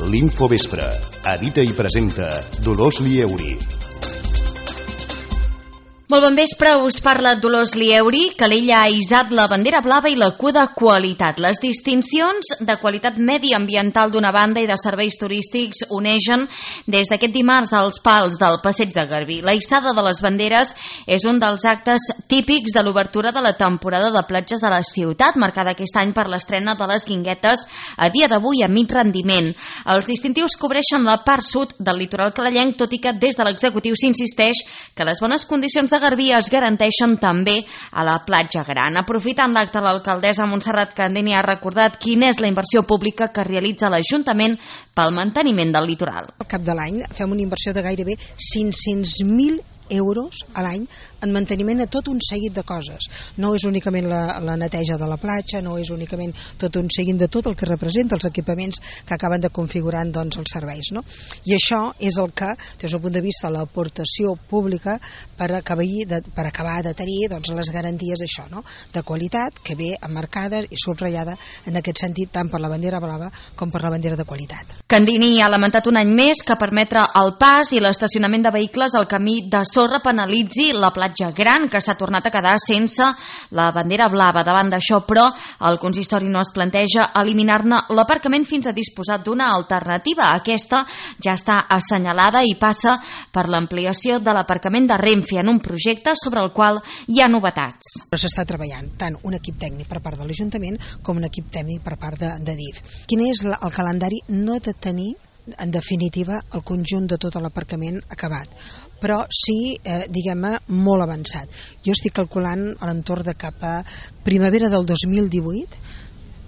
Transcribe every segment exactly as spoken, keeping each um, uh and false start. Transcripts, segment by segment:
L'Infovespre. Edita i presenta Dolors Lieuri. Molt bon vespre, us parla Dolors Lieuri. Calella ha hissat la bandera blava i la Q de qualitat. Les distincions de qualitat mediambiental d'una banda i de serveis turístics uneixen des d'aquest dimarts als pals del Passeig de Garbí. La hissada de les banderes és un dels actes típics de l'obertura de la temporada de platges a la ciutat, marcada aquest any per l'estrena de les guinguetes a dia d'avui a mig rendiment. Els distintius cobreixen la part sud del litoral calellenc, tot i que des de l'executiu s'insisteix que les bones condicions de Garbí es garanteixen també a la platja gran. Aprofitant l'acte, l'alcaldessa Montserrat Candini ha recordat quina és la inversió pública que realitza l'Ajuntament pel manteniment del litoral. Al cap de l'any fem una inversió de gairebé cinc-cents mil euros a l'any en manteniment a tot un seguit de coses. No és únicament la, la neteja de la platja, no és únicament tot un seguit de tot el que representa els equipaments que acaben de configurar doncs, els serveis. No? I això és el que, des del punt de vista de l'aportació pública, per acabar de, per acabar de tenir doncs, les garanties això, no? de qualitat, que ve emmarcada i subratllada en aquest sentit tant per la bandera blava com per la bandera de qualitat. Candini ha lamentat un any més que permetre el pas i l'estacionament de vehicles al camí de sorra penalitzi la platja gran, que s'ha tornat a quedar sense la bandera blava. Davant d'això, però, el consistori no es planteja eliminar-ne l'aparcament fins a disposar d'una alternativa. Aquesta ja està assenyalada i passa per l'ampliació de l'aparcament de Renfe en un projecte sobre el qual hi ha novetats. Però s'està treballant tant un equip tècnic per part de l'Ajuntament com un equip tècnic per part de, de D I F. Quin és la, el calendari? No de tenir en definitiva el conjunt de tot l'aparcament acabat, però sí, eh, diguem-ne, molt avançat. Jo estic calculant a l'entorn de cap a primavera del dos mil divuit,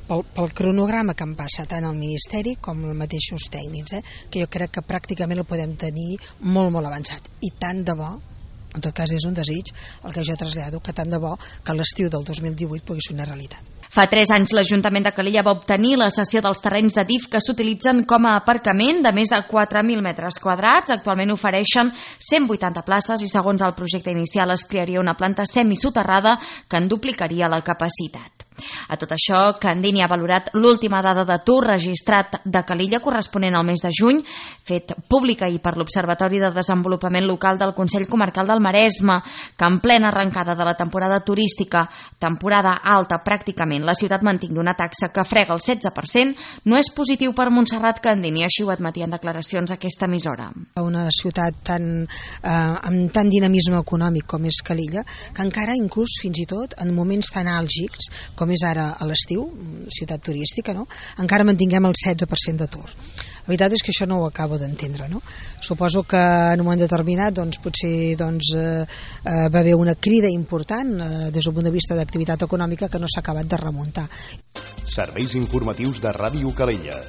pel, pel cronograma que em passa tant al Ministeri com els mateixos tècnics, eh, que jo crec que pràcticament el podem tenir molt, molt avançat. I tant de bo, en tot cas és un desig, el que jo trasllado, que tant de bo que l'estiu del dos mil divuit pugui ser una realitat. Fa tres anys l'Ajuntament de Calella va obtenir la cessió dels terrenys de D I F que s'utilitzen com a aparcament de més de quatre mil metres quadrats. Actualment ofereixen cent vuitanta places i segons el projecte inicial es crearia una planta semisoterrada que en duplicaria la capacitat. A tot això, Candini ha valorat l'última dada d'atur registrat de Calella corresponent al mes de juny, fet pública i per l'Observatori de Desenvolupament Local del Consell Comarcal del Maresme, que en plena arrencada de la temporada turística, temporada alta pràcticament, la ciutat mantingui una taxa que frega el setze per cent, no és positiu per Montserrat Candini, així ho admetia en declaracions a aquesta emissora. Una ciutat tan, eh, amb tant dinamisme econòmic com és Calella, que encara, inclús fins i tot, en moments tan àlgics com és ara a l'estiu, ciutat turística, no? encara mantinguem el setze per cent d'atur. La veritat és que això no ho acabo d'entendre. No? Suposo que en un moment determinat doncs, potser doncs, eh, eh, va haver una crida important eh, des del punt de vista d'activitat econòmica que no s'ha acabat de remuntar. Serveis informatius de Ràdio Calella.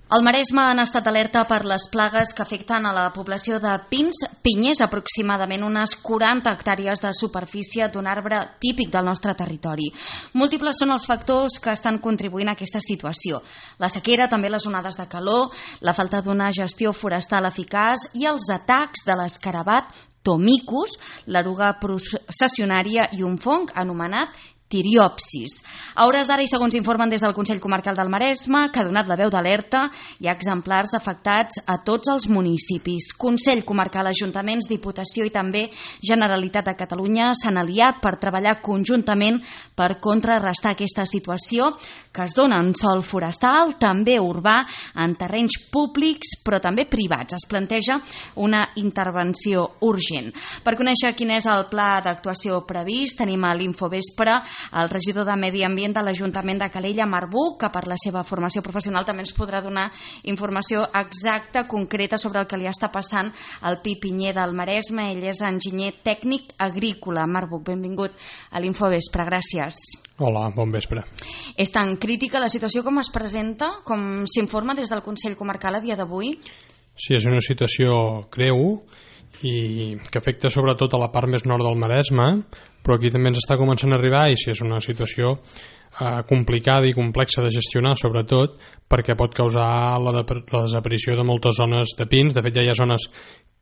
Al Maresme han estat alerta per les plagues que afecten a la població de pins pinyers, aproximadament unes quaranta hectàrees de superfície d'un arbre típic del nostre territori. Múltiples són els factors que estan contribuint a aquesta situació. La sequera, també les onades de calor, la falta d'una gestió forestal eficaç i els atacs de l'escarabat Tomicus, l'eruga processionària i un fong anomenat tiriopsis. A hores d'ara i segons informen des del Consell Comarcal del Maresme, que ha donat la veu d'alerta, hi ha exemplars afectats a tots els municipis. Consell Comarcal, Ajuntaments, Diputació i també Generalitat de Catalunya s'han aliat per treballar conjuntament per contrarrestar aquesta situació que es dona en sòl forestal, també urbà, en terrenys públics però també privats. Es planteja una intervenció urgent. Per conèixer quin és el pla d'actuació previst, tenim a l'Infovespre el regidor de Medi Ambient de l'Ajuntament de Calella, Marc Buch, que per la seva formació professional també ens podrà donar informació exacta, concreta, sobre el que li està passant al Pi Pinyer del Maresme. Ell és enginyer tècnic agrícola. Marc Buch, benvingut a l'Infovespre, gràcies. Hola, bon vespre. És tan crítica la situació com es presenta, com s'informa des del Consell Comarcal a dia d'avui? Sí, és una situació greu i que afecta sobretot a la part més nord del Maresme, però aquí també ens està començant a arribar i sí, és una situació eh, complicada i complexa de gestionar, sobretot perquè pot causar la, de, la desaparició de moltes zones de pins. De fet, ja hi ha zones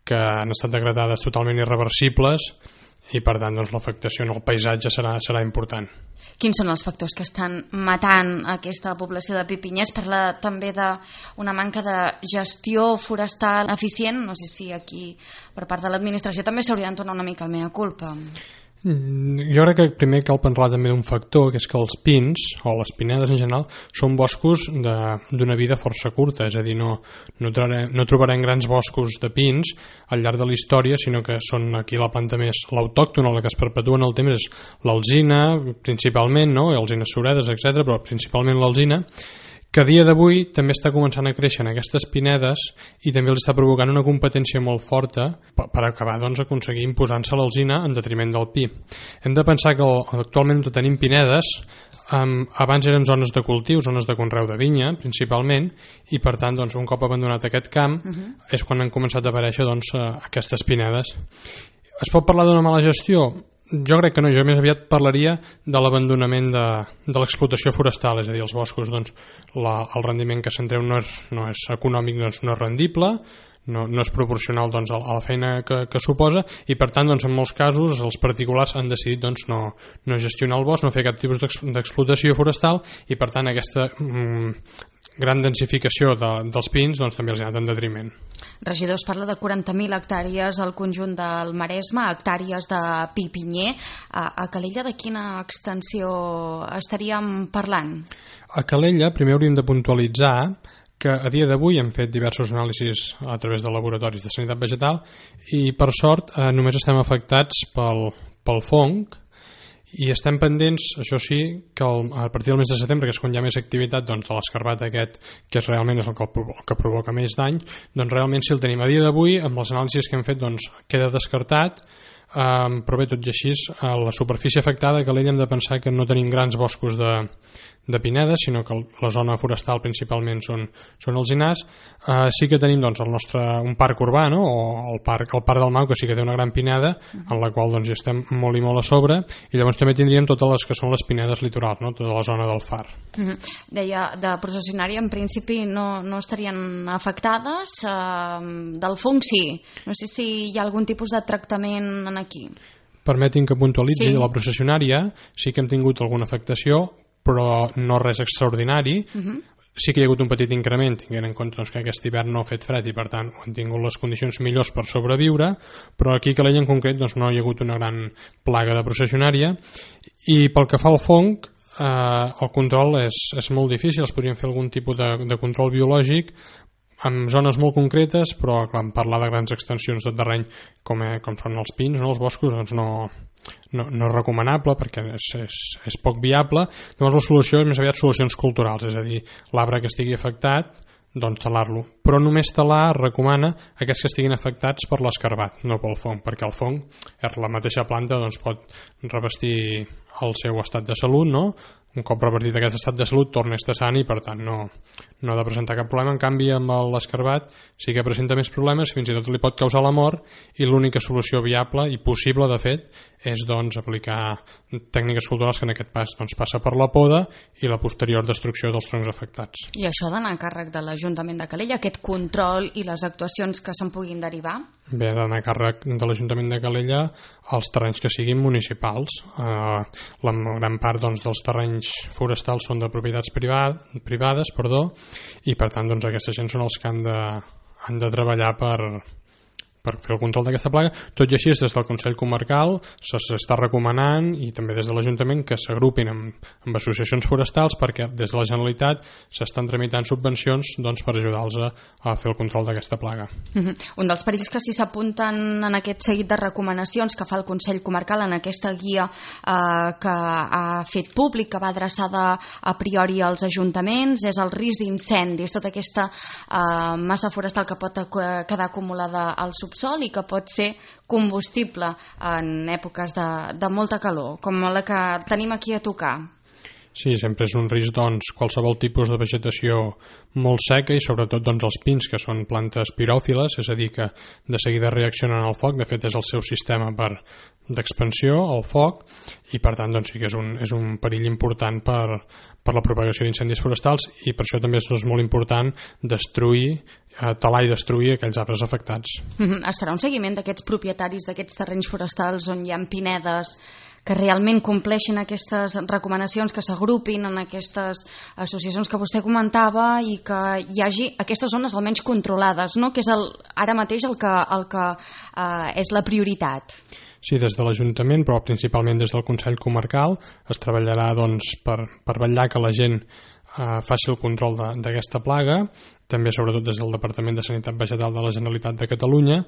que han estat degradades totalment irreversibles i per tant doncs, l'afectació en el paisatge serà, serà important. Quins són els factors que estan matant aquesta població de pi pinyers? Parla també d'una manca de gestió forestal eficient. No sé si aquí per part de l'administració també s'hauria d'entornar una mica el mea culpa. Jo crec que primer cal parlar també d'un factor, que és que els pins, o les pinedes en general, són boscos d'una vida força curta, és a dir, no, no, trobarem, no trobarem grans boscos de pins al llarg de la història, sinó que són aquí la planta més l'autòctona, la que es perpetua en el temps és l'alzina, principalment, no? Alzines suredes, etcètera, però principalment l'alzina, que a dia d'avui també està començant a créixer en aquestes pinedes i també els està provocant una competència molt forta per acabar doncs, aconseguir imposant-se l'alzina en detriment del pi. Hem de pensar que actualment tenim pinedes, um, abans eren zones de cultiu, zones de conreu de vinya principalment, i per tant doncs, un cop abandonat aquest camp uh-huh. és quan han començat a aparèixer doncs, aquestes pinedes. Es pot parlar d'una mala gestió? Jo crec que no, jo més aviat parlaria de l'abandonament de, de l'explotació forestal, és a dir, els boscos, doncs, la, el rendiment que se'n treu no és, no és econòmic, doncs no és rendible, no, no és proporcional doncs, a la feina que, que suposa, i per tant, doncs, en molts casos, els particulars han decidit doncs, no, no gestionar el bosc, no fer cap tipus d'explotació forestal, i per tant aquesta mm, gran densificació de, dels pins doncs, també els ha anat en detriment. Regidor, es parla de quaranta mil hectàrees al conjunt del Maresme, hectàrees de pi pinyer. A, a Calella de quina extensió estaríem parlant? A Calella primer hauríem de puntualitzar que a dia d'avui hem fet diversos anàlisis a través de laboratoris de sanitat vegetal i per sort eh, només estem afectats pel, pel fong i estem pendents, això sí, que el, a partir del mes de setembre, que és quan hi ha més activitat doncs, de l'escarbat aquest, que és realment és el que, el que provoca més dany, doncs realment si el tenim a dia d'avui, amb les anàlisis que hem fet doncs, queda descartat, um, però bé, tot i així, a la superfície afectada, que l'ella hem de pensar que no tenim grans boscos de, de pinedes, sinó que la zona forestal principalment són, són alzinars. Uh, sí que tenim doncs, el nostre, un parc urbà, no? O el parc, el parc del Mau, que sí que té una gran pineda, en la qual doncs, hi estem molt i molt a sobre, i llavors també tindríem totes les que són les pinedes litorals, no? Tota la zona del Far. Mm-hmm. Deia, de processionària en principi no, no estarien afectades, uh, del fong sí. No sé si hi ha algun tipus de tractament en aquí. Permetin que puntualitzi, sí. De la processionària sí que hem tingut alguna afectació, però no res extraordinari. Uh-huh. Sí que hi ha hagut un petit increment, tinguent en compte doncs, que aquest hivern no ha fet fred i per tant han tingut les condicions millors per sobreviure, però aquí a Calella en concret doncs, no hi ha hagut una gran plaga de processionària. I pel que fa al fong, eh, el control és, és molt difícil, es podrien fer algun tipus de, de control biològic en zones molt concretes, però quan parlar de grans extensions de terreny com, eh, com són els pins, no, els boscos, doncs no, no, no és recomanable perquè és, és, és poc viable. Llavors la solució és més aviat solucions culturals, és a dir, l'arbre que estigui afectat, doncs talar-lo. Però només talar recomana aquests que estiguin afectats per l'escarbat, no pel fong, perquè el fong, la mateixa planta, doncs, pot revestir el seu estat de salut, no? Un cop revertit aquest estat de salut torna a estar sant i per tant no, no ha de presentar cap problema. En canvi amb l'escarbat sí que presenta més problemes, fins i tot li pot causar la mort, i l'única solució viable i possible de fet és doncs aplicar tècniques culturals, que en aquest pas doncs, passa per la poda i la posterior destrucció dels troncs afectats. I això ha d'anar a càrrec de l'Ajuntament de Calella, aquest control i les actuacions que se'n puguin derivar? Bé, ha d'anar a càrrec de l'Ajuntament de Calella els terrenys que siguin municipals. Eh, la gran part doncs, dels terrenys forestals són de propietats privades, privades perdó, i per tant doncs, aquesta gent són els que han de, han de treballar per, per fer el control d'aquesta plaga. Tot i així, des del Consell Comarcal s'està recomanant, i també des de l'Ajuntament, que s'agrupin amb, amb associacions forestals, perquè des de la Generalitat s'estan tramitant subvencions doncs, per ajudar-los a, a fer el control d'aquesta plaga. Mm-hmm. Un dels perills que sí s'apunten en aquest seguit de recomanacions que fa el Consell Comarcal en aquesta guia eh, que ha fet públic, que va adreçada a priori als ajuntaments, és el risc d'incendis, tota aquesta eh, massa forestal que pot quedar acumulada al subsòl sol i que pot ser combustible en èpoques de, de molta calor, com la que tenim aquí a tocar. Sí, sempre és un risc doncs, qualsevol tipus de vegetació molt seca i sobretot doncs, els pins, que són plantes piròfiles, és a dir, que de seguida reaccionen al foc, de fet és el seu sistema per d'expansió, el foc, i per tant doncs, sí que és un, és un perill important per, per la propagació d'incendis forestals i per això també és doncs, molt important destruir, eh, talar i destruir aquells arbres afectats. Mm-hmm. Es farà un seguiment d'aquests propietaris d'aquests terrenys forestals on hi ha pinedes que realment compleixin aquestes recomanacions, que s'agrupin en aquestes associacions que vostè comentava i que hi hagi aquestes zones almenys controlades, no? Que és el, ara mateix el que, el que eh, és la prioritat. Sí, des de l'Ajuntament, però principalment des del Consell Comarcal, es treballarà doncs, per, per vetllar que la gent eh, faci el control d'aquesta plaga, també sobretot des del Departament de Sanitat Vegetal de la Generalitat de Catalunya,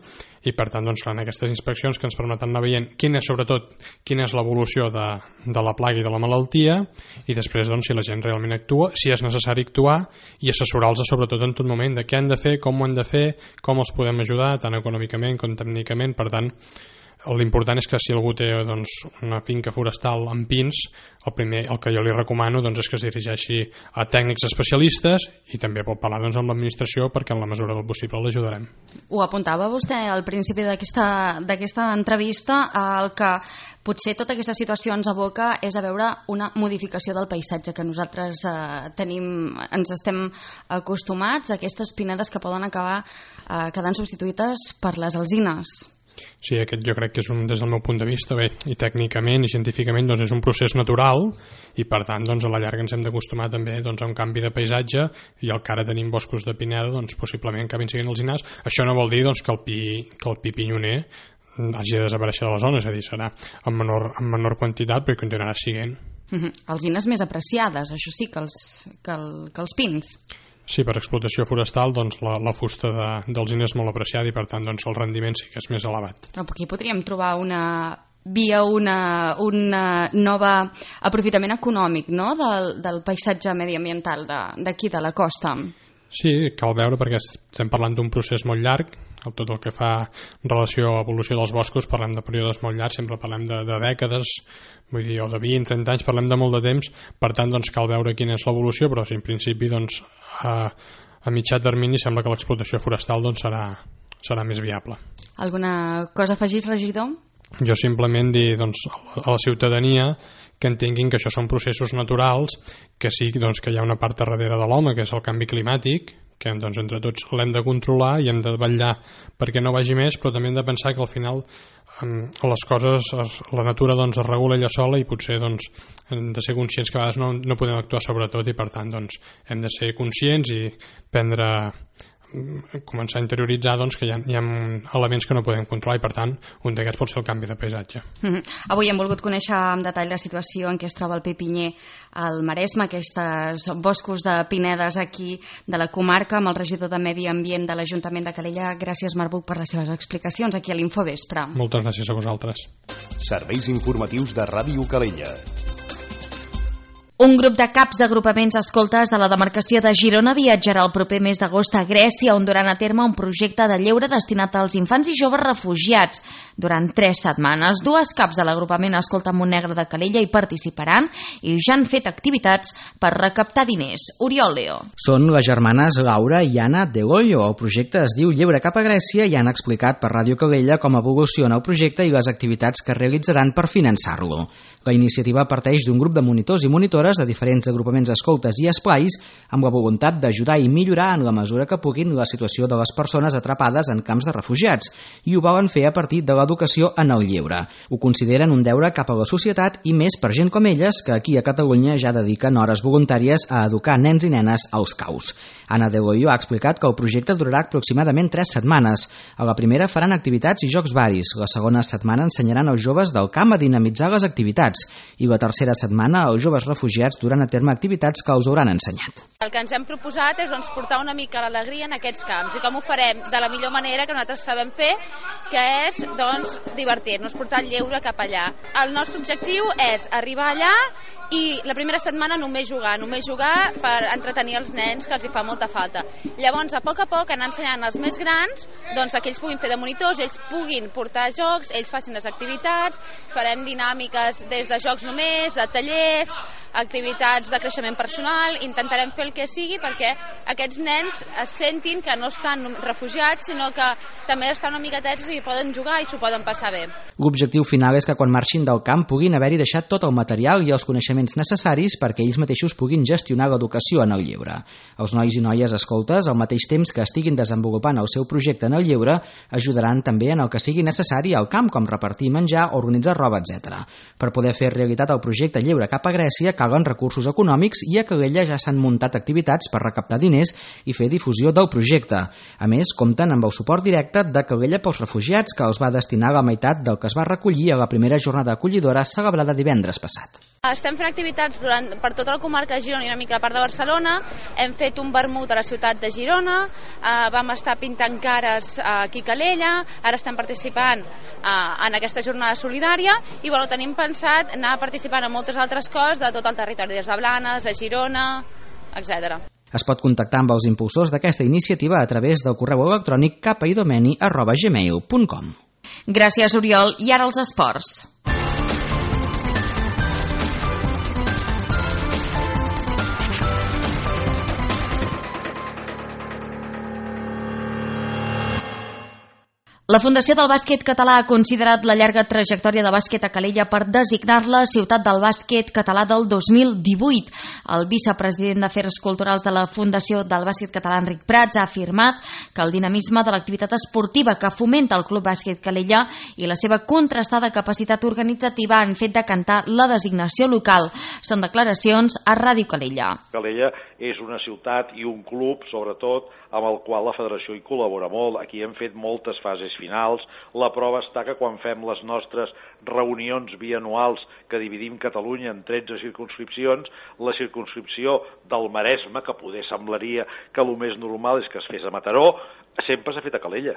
i per tant doncs, faran aquestes inspeccions que ens permeten anar veient quina és, sobretot quina és l'evolució de, de la plaga i de la malaltia, i després doncs, si la gent realment actua, si és necessari actuar, i assessorar-los sobretot en tot moment de què han de fer, com ho han de fer, com els podem ajudar, tant econòmicament com tècnicament. Per tant, l'important és que si algú té doncs, una finca forestal amb pins, el primer, el que jo li recomano doncs, és que es dirigeixi a tècnics especialistes i també pot parlar doncs, amb l'administració perquè en la mesura del possible l'ajudarem. Ho apuntava vostè al principi d'aquesta entrevista, el que potser tota aquesta situació ens aboca és a veure una modificació del paisatge que nosaltres eh, tenim, ens estem acostumats a aquestes pinedes que poden acabar eh, quedant substituïdes per les alzines. Sí, aquest jo crec que és un, des del meu punt de vista, bé, i tècnicament i científicament doncs és un procés natural i per tant doncs, a la llarga ens hem d'acostumar també doncs, a un canvi de paisatge i el que ara tenim boscos de pineda doncs, possiblement acabin siguin alzinars. Això no vol dir doncs, que, el pi, que el pi pinyoner hagi de desaparèixer de la zona, és a dir, serà en menor, en menor quantitat però continuarà siguent. Mm-hmm. Alzines més apreciades, això sí, que els, que el, que els pins. Sí, per explotació forestal doncs, la, la fusta de, d'alzina és molt apreciada i per tant doncs, el rendiment sí que és més elevat. Però aquí podríem trobar una via, una, una nova aprofitament econòmic, no? del, del paisatge mediambiental d'aquí de, de la costa. Sí, cal veure perquè estem parlant d'un procés molt llarg, tot el que fa relació a l'evolució dels boscos, parlem de períodes molt llargs, sempre parlem de, de dècades, vull dir, o de vint, trenta anys, parlem de molt de temps, per tant doncs, cal veure quina és l'evolució, però sí, en principi doncs, a, a mitjà termini sembla que l'explotació forestal doncs, serà, serà més viable. Alguna cosa afegis, regidor? Jo simplement dir doncs, a la ciutadania que entenguin que això són processos naturals, que sí doncs, que hi ha una part darrere de l'home, que és el canvi climàtic, que doncs, entre tots l'hem de controlar i hem de vetllar perquè no vagi més, però també hem de pensar que al final um, les coses, la natura doncs, es regula ella sola i potser doncs, hem de ser conscients que a vegades no, no podem actuar sobre tot i per tant doncs, hem de ser conscients i prendre començar a interioritzar doncs, que hi ha, hi ha elements que no podem controlar i per tant un d'aquests pot ser el canvi de paisatge. Mm-hmm. Avui hem volgut conèixer en detall la situació en què es troba el Pi Pinyer al Maresme, aquests boscos de pinedes aquí de la comarca, amb el regidor de Medi Ambient de l'Ajuntament de Calella. Gràcies, Marc Buch, per les seves explicacions aquí a l'Infovespre. Moltes gràcies a vosaltres. Serveis informatius de Ràdio Calella. Un grup de caps d'agrupaments escoltes de la demarcació de Girona viatjarà el proper mes d'agost a Grècia, on duran a terme un projecte de lleure destinat als infants i joves refugiats. Durant tres setmanes, dues caps de l'agrupament Escolta Montnegre de Calella hi participaran i ja han fet activitats per recaptar diners. Oriol Leo. Són les germanes Laura i Anna de Goyo. El projecte es diu Lleure cap a Grècia i han explicat per Ràdio Calella com evoluciona el projecte i les activitats que realitzaran per finançar-lo. La iniciativa parteix d'un grup de monitors i monitores de diferents agrupaments escoltes i esplais amb la voluntat d'ajudar i millorar en la mesura que puguin la situació de les persones atrapades en camps de refugiats i ho volen fer a partir de l'educació en el lleure. Ho consideren un deure cap a la societat i més per gent com elles que aquí a Catalunya ja dediquen hores voluntàries a educar nens i nenes als caus. Anna de Goyo ha explicat que el projecte durarà aproximadament tres setmanes. A la primera faran activitats i jocs varis. La segona setmana ensenyaran als joves del camp a dinamitzar les activitats i la tercera setmana els joves refugiats duran a terme activitats que els hauran ensenyat. El que ens hem proposat és doncs, portar una mica l'alegria en aquests camps i com ho farem de la millor manera que nosaltres sabem fer, que és doncs, divertir-nos, portar el lleure cap allà. El nostre objectiu és arribar allà i la primera setmana només jugar, només jugar per entretenir els nens, que els hi fa molta falta. Llavors, a poc a poc, anar ensenyant els més grans, doncs que ells puguin fer de monitors, ells puguin portar jocs, ells facin les activitats, farem dinàmiques des de jocs només, de tallers, activitats de creixement personal, intentarem fer el que sigui perquè aquests nens es sentin que no estan refugiats, sinó que també estan una miquetets i poden jugar i s'ho poden passar bé. L'objectiu final és que quan marxin del camp puguin haver-hi deixat tot el material i els coneixements necessaris perquè ells mateixos puguin gestionar l'educació en el lleure. Els nois i noies escoltes, al mateix temps que estiguin desenvolupant el seu projecte en el lleure, ajudaran també en el que sigui necessari al camp, com repartir menjar, organitzar roba, etcètera. Per poder fer realitat el projecte Lleure cap a Grècia, calen recursos econòmics i a Calella ja s'han muntat activitats per recaptar diners i fer difusió del projecte. A més, compten amb el suport directe de Calella pels refugiats, que els va destinar la meitat del que es va recollir a la primera jornada acollidora celebrada divendres passat. Estem fent activitats durant, per tota la comarca de Girona i una mica la part de Barcelona. Hem fet un vermut a la ciutat de Girona, eh, vam estar pintant cares aquí a Calella, ara estem participant eh, en aquesta jornada solidària i bueno, tenim pensat anar participant en moltes altres coses de tot el territori, des de Blanes, a Girona, etcètera. Es pot contactar amb els impulsors d'aquesta iniciativa a través del correu electrònic capaidomeni arroba gmail punt com. Gràcies, Oriol. I ara els esports. La Fundació del Bàsquet Català ha considerat la llarga trajectòria de bàsquet a Calella per designar-la Ciutat del Bàsquet Català del dos mil divuit. El vicepresident d'Afers Culturals de la Fundació del Bàsquet Català, Enric Prats, ha afirmat que el dinamisme de l'activitat esportiva que fomenta el Club Bàsquet Calella i la seva contrastada capacitat organitzativa han fet decantar la designació local. Són declaracions a Ràdio Calella. Calella és una ciutat i un club, sobretot, amb el qual la federació hi col·labora molt. Aquí hem fet moltes fases finals. La prova està que quan fem les nostres reunions bianuals que dividim Catalunya en tretze circumscripcions, la circumscripció del Maresme, que poder semblaria que el més normal és que es fes a Mataró, sempre s'ha fet a Calella.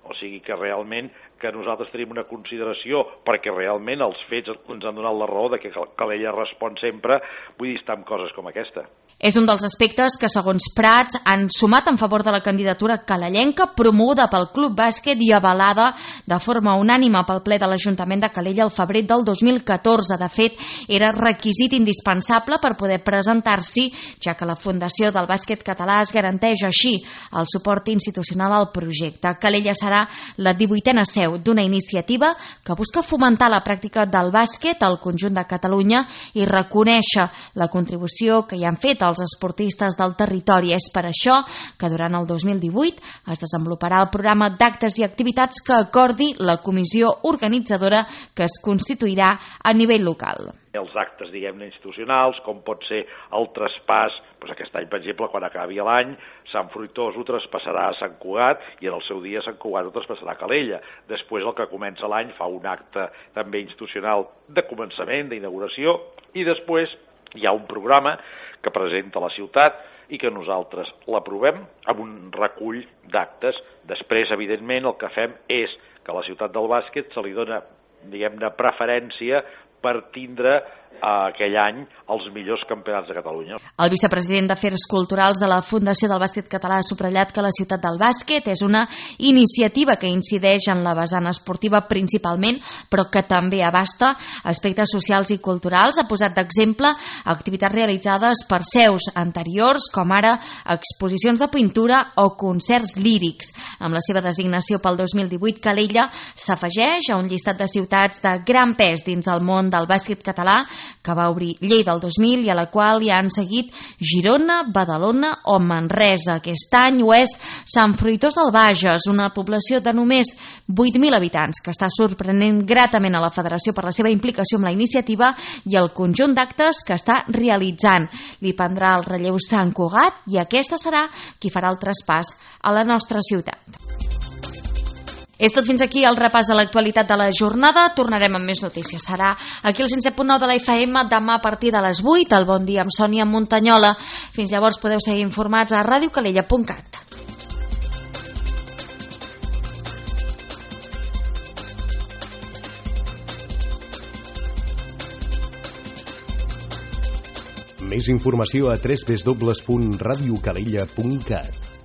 O sigui que realment que nosaltres tenim una consideració, perquè realment els fets ens han donat la raó de que Calella respon sempre, vull dir, estar amb coses com aquesta. És un dels aspectes que, segons Prats, han sumat en favor de la candidatura calellenca promoguda pel Club Bàsquet i avalada de forma unànime pel ple de l'Ajuntament de Calella el febrer del dos mil catorze. De fet, era requisit indispensable per poder presentar-s'hi, ja que la Fundació del Bàsquet Català es garanteix així el suport institucional al projecte. Calella serà la divuitena seu d'una iniciativa que busca fomentar la pràctica del bàsquet al conjunt de Catalunya i reconèixer la contribució que hi han fet els esportistes del territori. És per això que durant el dos mil divuit es desenvoluparà el programa d'actes i activitats que acordi la comissió organitzadora que es constituirà a nivell local. Els actes, diguem-ne, institucionals, com pot ser el traspàs, doncs aquest any, per exemple, quan acabi l'any, Sant Fruitós ho traspassarà a Sant Cugat i en el seu dia Sant Cugat ho traspassarà a Calella. Després, el que comença l'any, fa un acte també institucional de començament, d'inauguració, i després hi ha un programa que presenta la ciutat i que nosaltres l'aprovem amb un recull d'actes. Després, evidentment, el que fem és que a la ciutat del bàsquet se li dona, diguem-ne, preferència per tindre eh, aquell any els millors campionats de Catalunya. El vicepresident d'Afers Culturals de la Fundació del Bàsquet Català ha subratllat que la ciutat del bàsquet és una iniciativa que incideix en la vessant esportiva principalment, però que també abasta aspectes socials i culturals. Ha posat d'exemple activitats realitzades per seus anteriors, com ara exposicions de pintura o concerts lírics. Amb la seva designació pel dos mil divuit, Calella s'afegeix a un llistat de ciutats de gran pes dins el món del bàsquet català, que va obrir Lleida el dos mil i a la qual hi han seguit Girona, Badalona o Manresa. Aquest any ho és Sant Fruitós del Bages, una població de només vuit mil habitants, que està sorprenent gratament a la Federació per la seva implicació amb la iniciativa i el conjunt d'actes que està realitzant. Li prendrà el relleu Sant Cugat i aquesta serà qui farà el traspàs a la nostra ciutat. És tot fins aquí el repàs de l'actualitat de la jornada. Tornarem amb més notícies. Serà aquí al cent set punt nou de la F M demà a partir de les vuit. El Bon Dia amb Sònia Muntanyola. Fins llavors podeu seguir informats a ràdio calella punt cat. Més informació a w w w punt radio calella punt cat.